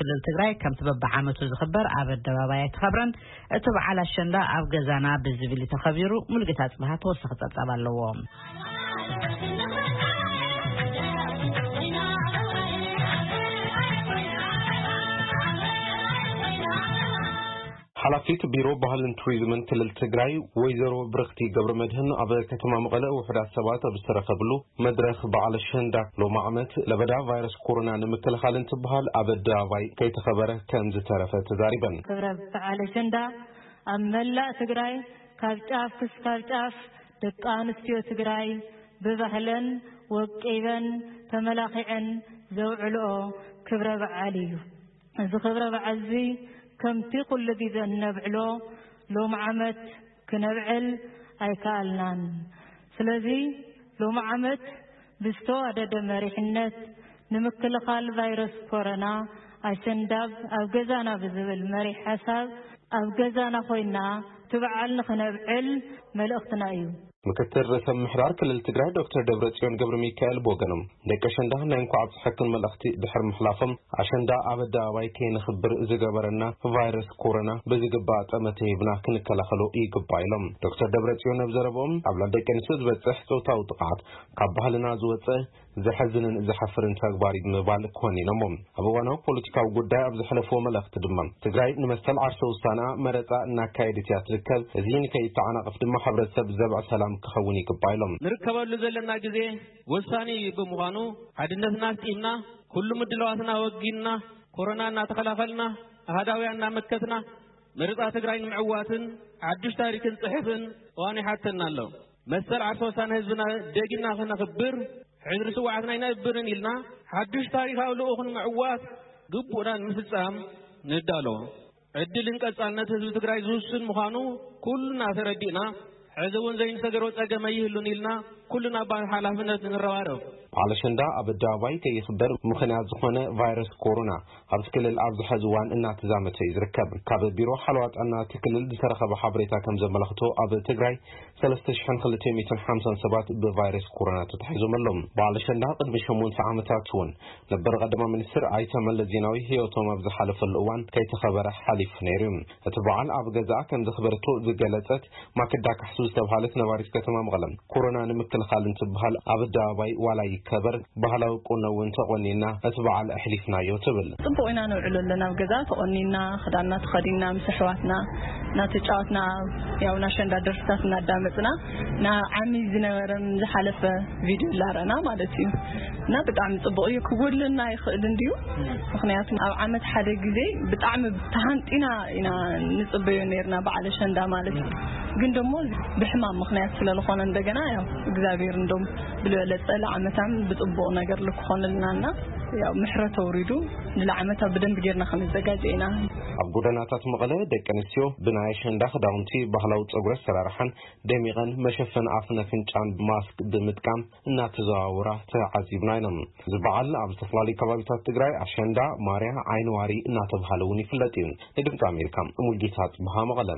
ክልል ትግራይ ከምቲ በብዓመቱ ዝኽበር ኣብ ኣደባባይ ኣይተኸብረን። እቲ በዓል ኣሸንዳ ኣብ ገዛና ብዝብል እዩ ተኸቢሩ። ሙሉጌታ ጽብሃ ተወሳኺ ጸብጻብ ኣለዎ። ሓላፊት ቢሮ ባህልን ቱሪዝምን ክልል ትግራይ ወይዘሮ ብርኽቲ ገብረ መድህን ኣብ ከተማ መቐለ ውሑዳት ሰባት ኣብ ዝተረኸብሉ መድረኽ በዓል ኣሸንዳ፣ ሎሚ ዓመት ለበዳ ቫይረስ ኮሮና ንምክልኻል እንትበሃል ኣብ ኣደባባይ ከይተኸበረ ከም ዝተረፈ ተዛሪበን። ክብረ በዓል ኣሸንዳ ኣብ መላእ ትግራይ ካብ ጫፍ ክስካብ ጫፍ ደቂ ኣንስትዮ ትግራይ ብባህለን ወቂበን ተመላኺዐን ዘውዕልኦ ክብረ በዓል እዩ። እዚ ክብረ በዓል እዚ ከምቲ ኩሉ ግዜ እነብዕሎ ሎም ዓመት ክነብዕል ኣይከኣልናን። ስለዚ ሎም ዓመት ብዝተዋደደ መሪሕነት ንምክልኻል ቫይረስ ኮሮና ኣሸንዳብ ኣብ ገዛና ብዝብል መሪሕ ሓሳብ ኣብ ገዛና ኮይና እቲ በዓል ንኽነብዕል መልእኽትና እዩ። ምክትል ርእሰ ምምሕዳር ክልል ትግራይ ዶክተር ደብረጽዮን ገብረ ሚካኤል ብወገኖም፣ ደቂ ኣሸንዳ ናይ እንኳዕ ኣብፀሐክን መልእኽቲ ድሕሪ ምሕላፎም፣ ኣሸንዳ ኣብ ኣደባባይ ከይነኽብር ዝገበረና ቫይረስ ኮሮና ብዝግባእ ጠመተ ሂብና ክንከላኸሎ ይግባእ ኢሎም። ዶክተር ደብረጽዮን ኣብ ዘረብኦም፣ ኣብ ልዕሊ ደቂ ኣንስትዮ ዝበፅሕ ፆታዊ ጥቕዓት ካብ ባህልና ዝወፀ ዘሐዝንን ዘሐፍርን ተግባር እዩ ብምባል ኮኒኖሞ። ኣብ እዋናዊ ፖለቲካዊ ጉዳይ ኣብ ዘሕለፍዎ መልእኽቲ ድማ፣ ትግራይ ንመሰል ዓርሰ ውሳነኣ መረፃ እናካየደት እያ ትርከብ። እዚ ንከይተዓናቐፍ ድማ ሕብረተሰብ ዘብዕ ሰላም ክኸውን ይግባእ ኢሎም። ንርከበሉ ዘለና ግዜ ወሳኒ ብምዃኑ፣ ሓድነትና ኣስጢምና፣ ኩሉ ምድላዋትና ወጊንና፣ ኮሮና እናተኸላኸልና፣ ኣሃዳውያን እናመከትና፣ መረፃ ትግራይ ንምዕዋትን ሓዱሽ ታሪክን ፅሕፍን እዋን ይሓተና ኣሎ። መሰል ዓርሰ ውሳነ ህዝብና ደጊምና ክነኽብር፣ ሕድሪ ስውዓትና ኣይነብርን ኢልና፣ ሓዱሽ ታሪኻዊ ልኡኽ ንምዕዋት ግቡእና ንምፍጻም ንዳሎ። ዕድልን ቀጻልነት ህዝቢ ትግራይ ዝውስን ምዃኑ ኩልና ተረዲእና፣ ሕዚ እውን ዘይንሰገሮ ጸገም ኣይህሉን ኢልና ኩልና ኣብ ሓላፍነት ንረባረብ። በዓል ኣሸንዳ ኣብ ኣደባባይ ከይኽበር ምኽንያት ዝኾነ ቫይረስ ኮሮና ኣብዚ ክልል ኣብዚ ሕዚ እዋን እናተዛመተ እዩ ዝርከብ። ካብ ቢሮ ሓለዋ ጥዕና እቲ ክልል ዝተረኸበ ሓበሬታ ከም ዘመላኽቶ፣ ኣብ ትግራይ ሰለስተ ሽሕን ክልተ ሚእትን ሓምሳን ሰባት ብቫይረስ ኮሮና ተታሒዞም ኣለዉ። በዓል ኣሸንዳ ቅድሚ ሸሞንተ ዓመታት እውን ነበር ቀዳማይ ሚኒስትር ኣይተ መለስ ዜናዊ ህይወቶም ኣብ ዝሓለፈሉ እዋን ከይተኸበረ ሓሊፉ ነይሩ እዩ። እቲ በዓል ኣብ ገዛኣ ከም ዘኽበረቶ ዝገለጸት ማክዳ ካሕሱ ዝተብሃለት ነባሪት ከተማ መቐለ፣ ኮሮና ንምክልኻል እንትበሃል ኣብ ኣደባባይ ዋላ ይከበር፣ ባህላዊ ቁኖ እውን ተቖኒና እቲ በዓል ኣሕሊፍናዮ ትብል። ጽቡቕ ኢና ነውዕሎ ኣለና። ኣብ ገዛ ተቖኒና፣ ክዳንና ተኸዲንና፣ ምስ ኣሕዋትና እናተጫወትና፣ ያው ናሸንዳ ደርፍታት እናዳመጽና፣ ናብ ዓሚ ዝነበረን ዝሓለፈ ቪድዮ እናረኣና ማለት እዩ። እና ብጣዕሚ ጽቡቕ እዩ። ክጎድለና ይኽእል እንድዩ። ምኽንያቱ ኣብ ዓመት ሓደ ግዜ ብጣዕሚ ተሃንጢና ኢና ንጽበዮ ነይርና በዓል ኣሸንዳ ማለት እዩ። ግን ደሞ ብሕማም ምኽንያት ስለ ዝኾነ እንደገና ያው እግዚኣብሔር እንደም ብዝበለጸ ለዓመታም ብጽቡቕ ነገር ልክኾንልና እና ያው ምሕረት ኣውሪዱ ንለዓመታ ብደንብ ጌርና ክንዘጋጀ ኢና። ኣብ ጎደናታት መቐለ ደቂ ኣንስትዮ ብናይ ኣሸንዳ ክዳውንቲ፣ ባህላዊ ጸጉሪ ኣሰራርሓን ደሚቐን፣ መሸፈኒ ኣፍን ኣፍንጫን ማስክ ብምጥቃም እናተዘዋወራ ተዓዚብና ኢና። እዚ በዓል ኣብ ዝተፈላለዩ ከባቢታት ትግራይ ኣሸንዳ፣ ማርያ፣ ዓይኒ ዋሪ እናተብሃለ እውን ይፍለጥ እዩ። ንድምፂ ኣሜሪካ ሙልጌታ ጽብሃ መቐለ።